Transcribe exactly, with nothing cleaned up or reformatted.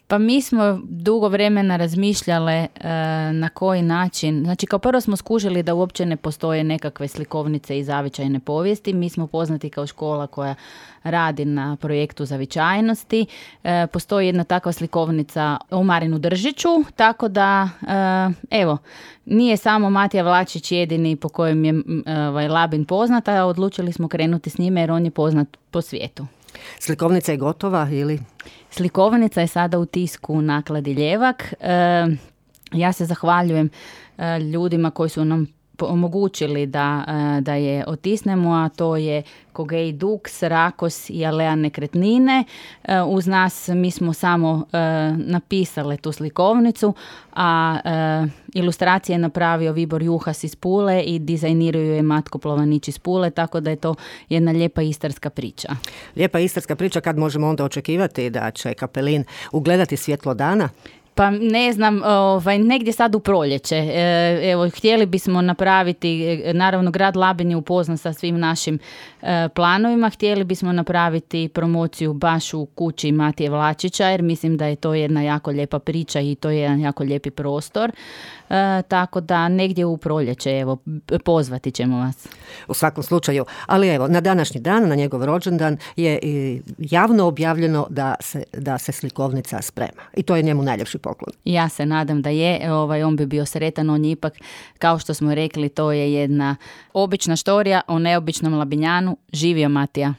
Pa mi smo dugo vremena razmišljale e, na koji način. Znači, kao prvo smo skužili da uopće ne postoje nekakve slikovnice i zavičajne povijesti. Mi smo poznati kao škola koja radi na projektu zavičajnosti. E, postoji jedna takva slikovnica o Marinu Držiću, tako da, e, evo, nije samo Matija Vlačić jedini po kojem je ovaj, Labin poznat, a odlučili smo krenuti s njime jer on je poznat po svijetu. Slikovnica je gotova ili? Slikovnica je sada u tisku Nakladi Ljevak. E, ja se zahvaljujem e, ljudima koji su nam omogućili da, e, da je otisnemo, a to je Kogej Dux, Rakos i Alea Nekretnine. E, uz nas mi smo samo e, napisale tu slikovnicu, a e, ilustracije je napravio Vibor Juhas iz Pule i dizajniraju je Matko Plovanić iz Pule, tako da je to jedna lijepa istarska priča. Lijepa istarska priča, kad možemo onda očekivati da će Kapelin ugledati svjetlo dana? Pa ne znam, ovaj, negdje sad u proljeće. E, evo, htjeli bismo napraviti, naravno grad Labin je upoznan sa svim našim e, planovima, htjeli bismo napraviti promociju baš u kući Matije Vlačića, jer mislim da je to jedna jako lijepa priča i to je jedan jako lijepi prostor. E, tako da negdje u proljeće, evo, pozvati ćemo vas. U svakom slučaju, ali evo, na današnji dan, na njegov rođendan je javno objavljeno da se, da se slikovnica sprema. I to je njemu najljepši poklon. Ja se nadam da je, ovaj, on bi bio sretan, on je ipak, kao što smo rekli, to je jedna obična štorija o neobičnom Labinjanu. Živio Matija!